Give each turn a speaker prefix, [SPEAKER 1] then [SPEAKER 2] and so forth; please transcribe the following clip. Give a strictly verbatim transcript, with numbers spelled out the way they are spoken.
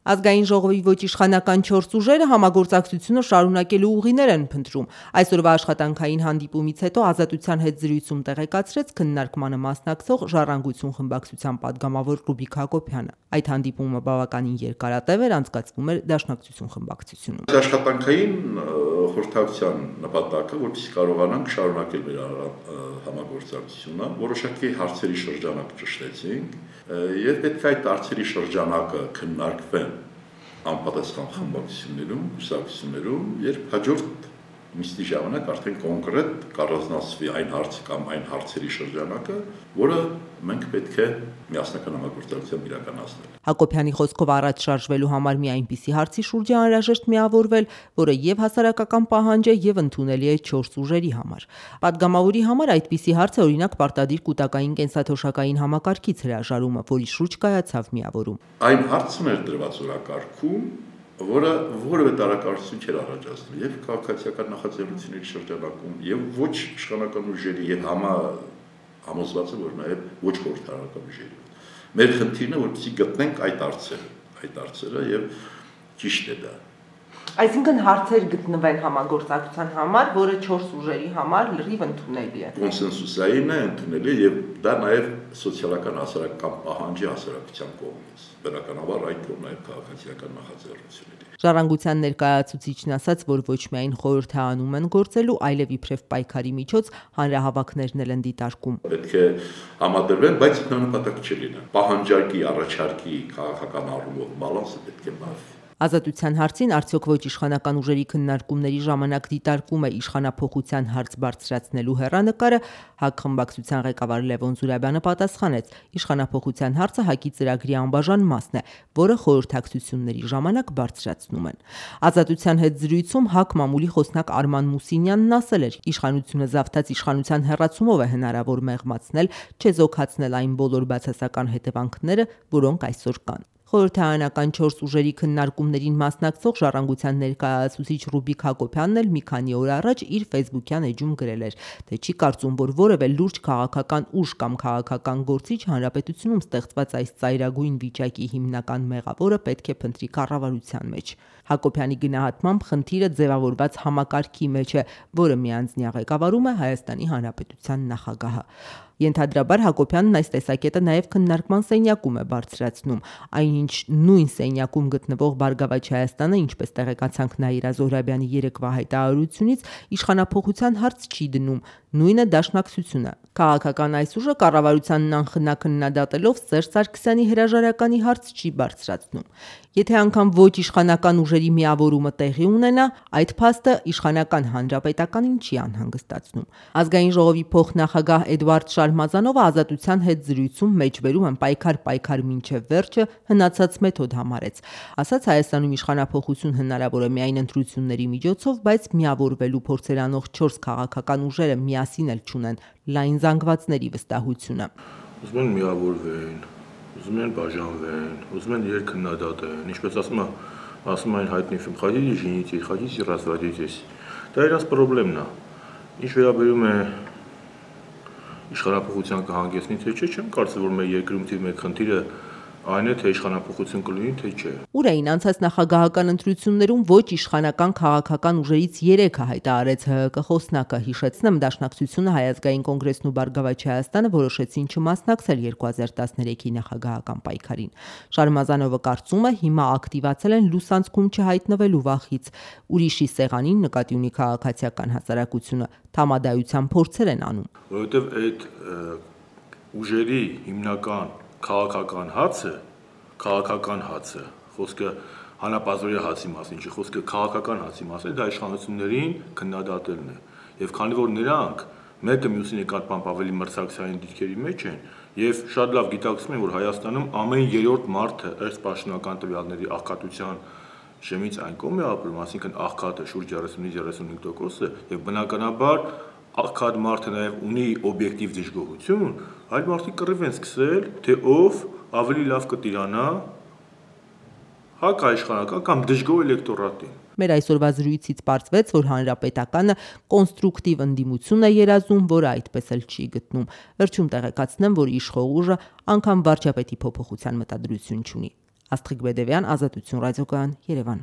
[SPEAKER 1] Ազգային ժողովի ոչ իշխանական չորս ուժերը համագործակցությունը շարունակելու ուղիներ են փնտրում։ Այսօրվա աշխատանքային հանդիպումից հետո Ազատության հետ զրույցում տեղեկացրեց քննարկմանը մասնակցող Ժառանգություն խմբակցության падգամավոր Ռուբիկ Հակոբյանը։ Այդ հանդիպումը բավականին երկարատև էր, անցկացվում էր Դաշնակցություն խմբակցությունում։
[SPEAKER 2] Աշխատանքային խորհրդակցության նպատակը, որպեսզի կարողանանք շարունակել մեր համագործակցությունը, որոշակի հարցերի շրջանակ ճշտեցինք, եւ պետք է այդ հարցերի շրջանակը քննարկվեն անպատասխան խմբակցություններում, կուսակցություններում, երբ հաջորդ նիստի ժամանակ արդեն կոնկրետ կառանձնացվի այն հարցը կամ այն հարցերի շրջանակը, որը մենք պետք է միասնական համագործակցությամբ իրականացնել։
[SPEAKER 1] Հակոբյանի խոսքով առաջ շարժվելու համար մի այնպիսի հարցի շուրջ է անհրաժեշտ միավորվել, որը եւ հասարակական պահանջ է եւ ընդունելի է չորս ուժերի համար։ Պատգամավորի համար այդպիսի հարց է օրինակ պարտադիր կൂട്ടակային կենսաթոշակային համակարգից հրաժարումը, որի շուրջ կայացավ միավորում։
[SPEAKER 2] Այն հարցն էր դրված օրակարգում, որը որևէ տարակարծություն չէր առաջացնում եւ քաղաքացիական նախաձեռնությունների շրջանակում եւ ոչ իշխանական ուժերի եւ համա համոզված է, որ նաեւ ոչ խորհրդարանական ուժերի։ Մեր խնդիրն է, որպեսզի գտնենք այդ հարցերը, այդ հարցերը եւ ճիշտ է դա։
[SPEAKER 1] Այսինքն հարցեր գտնվեն համագործակցության համար, որը չորս ուժերի համար լրիվ ընդունելի է։
[SPEAKER 2] Կոնսենսուսային է, ընդունելի է եւ դա նաեւ սոցիալական հասարակական պահանջ է հասարակության կողմից։ Բնականաբար այդ կողմն նաեւ քաղաքացիական նախաձեռնությունների։
[SPEAKER 1] Ժառանգության ներկայացուցիչն ասաց, որ ոչ միայն խորհրդանում են գործելու, այլև իբրև պայքարի միջոց հանրահավաքներն էլ են դիտարկում։
[SPEAKER 2] Պետք է համադրվեն, բայց դա նպատակ չի լինի։ Պահանջարկի, առաջարկի քաղաքական առումով բալանսը պետք է բավի։
[SPEAKER 1] Ազատության հարցին արդյոք ոչ իշխանական ուժերի քննարկումների ժամանակ դիտարկում է իշխանափոխության հարց բարձրացնելու հեռանկարը, ՀԱԿ խմբակցության ղեկավար Լևոն Զուրաբյանը պատասխանեց. իշխանափոխության հարցը ՀԱԿ-ի ծրագրի անբաժան մասն է, որը խորհրդակցությունների ժամանակ բարձրացնում են։ Ազատության հետ զրույցում ՀԱԿ մամուլի խոսնակ Արման Մուսինյանն ասել էր. իշխանությունը զավթած իշխանության հեռացումով է հնարավոր մեղմացնել, չեզոքացնել այն բոլոր բացասական հետևանքները, որոնք այսօր կան։ Խորհրդարանական չորս ուժերի քննարկումներին մասնակցող Ժառանգության ներկայացուցիչ Ռուբիկ Հակոբյանն էլ մի քանի օր առաջ իր ֆեյսբուքյան էջում գրել էր, թե չի կարծում, որ որևէ լուրջ քաղաքական ուժ կամ քաղաքական գործիչ հանրապետությունում ստեղծված այս ծայրագույն վիճակի հիմնական մեղավորը պետք է փնտրի կառավարության մեջ։ Հակոբյանի գնահատմամբ խնդիրը ձևավորված համակարգի մեջ է, որը միանձնյա ղեկավարում է Հայաստանի Հանրապետության նախագահը։ Ենթադրաբար Հակոբյանն այս տեսակետը նաև քննարկման սենյակում է բարձրացնում, այնինչ նույն սենյակում գտնվող Բարգավաճ Հայաստանը, ինչպես տեղեկացանք Նաիրա Զոհրաբյանի երեկվա հայտարարությունից, իշխանափոխության հարց չի դնում, նույնը Դաշնակցությունը։ Քաղաքական այս ուժը կառավարությանն անխնա քննադատելով Սերժ Սարգսյանի հրաժարականի հարց չի բարձրացնում։ Եթե անգամ ոչ իշխանական ուժերի միավորումը տեղի ունենա, այդ փաստը իշխանական հանրապետականին չի անհանգստացնում։ Ազգային ժողովի փոխնախագահ Էդվարդ Շարմազանովը Ազատության հետ զրույցում մեջբերում են պայքար-պայքար մինչև վերջը հնացած մեթոդ համարեց։ Ասաց Հայաստանում իշխանափոխություն հնարավոր է միայն ընտրությունների միջոցով, բայց միավորվելու փորձեր անող չորս քաղաքական ուժերը միասին էլ չունեն լայն զանգվածների վստահությունը։
[SPEAKER 3] Ուզում են միավորվեն, ուզում են բաժանվեն, ուզում են երկքննադատեն, ինչպես ասում է, ասում այն հայտնի ֆիլմ «Хотите женитесь, хотите разводитесь». Դա իրաց խնդիրն է։ Ինչ վերաբերում է իշխանափոխության կհանգեցնի, թե չէ, չեմ կարծում, որ մեր երկրում թիվ մեկ խնդիրը այն է, թե իշխանափոխություն կլինի, թե չէ։
[SPEAKER 1] Ուր էին անցած նախագահական ընտրություններում ոչ իշխանական քաղաքական ուժերից երեքը հայտարարեց ՀՀԿ խոսնակը, հիշեցնեմ, Դաշնակցությունը, Հայ ազգային կոնգրեսն ու Բարգավաճ Հայաստանը որոշեցին չմասնակցել երկու հազար տասներեքի նախագահական պայքարին։ Շարմազանովը կարծում է, հիմա ակտիվացել են լուսանցքում չհայտնվելու վախից, ուրիշի սեղանին նկատի ունի քաղաքացիական հասարակությունը, համադայության փորձեր են անում։
[SPEAKER 3] Որովհետև այդ ուժերի հիմնական քաղաքական հացը, քաղաքական հացը, խոսքը հանապազորի հացի մասին, չի խոսքը քաղաքական հացի մասին, դա իշխանություններին քննադատելն է։ Եվ քանի որ նրանք մեկը մյուսի նկատմամբ ավելի մրցակցային դիրքերի մեջ են, եւ շատ լավ գիտակցում են, որ Հայաստանում ամեն երրորդ մարդը ըստ պաշտոնական տվյալների աղքատության շեմից այն կողմ է ապրում, այսինքն աղքատը շուրջ երեսունից երեսունհինգ տոկոս է, եւ բնականաբար աղքատ մարդը նաև ունի օբյեկտիվ դժգոհություն, այլ մարդիկ կռիվ են սկսել, թե ով ավելի լավ կտիրանա հակաիշխանական կամ դժգոհ էլեկտորատին։
[SPEAKER 1] Մեր այսօրվա զրույցից պարզվեց, որ հանրապետականը կոնստրուկտիվ ընդդիմություն է երազում, որը այդպես էլ չի գտնում։ Վերջում տեղեկացնեմ, որ իշխող ուժը անգամ վարչապետի փոփոխության մտադրություն չունի։ Աստղիկ Բեդևյան, Ազատություն ռադիոկայան, Երևան։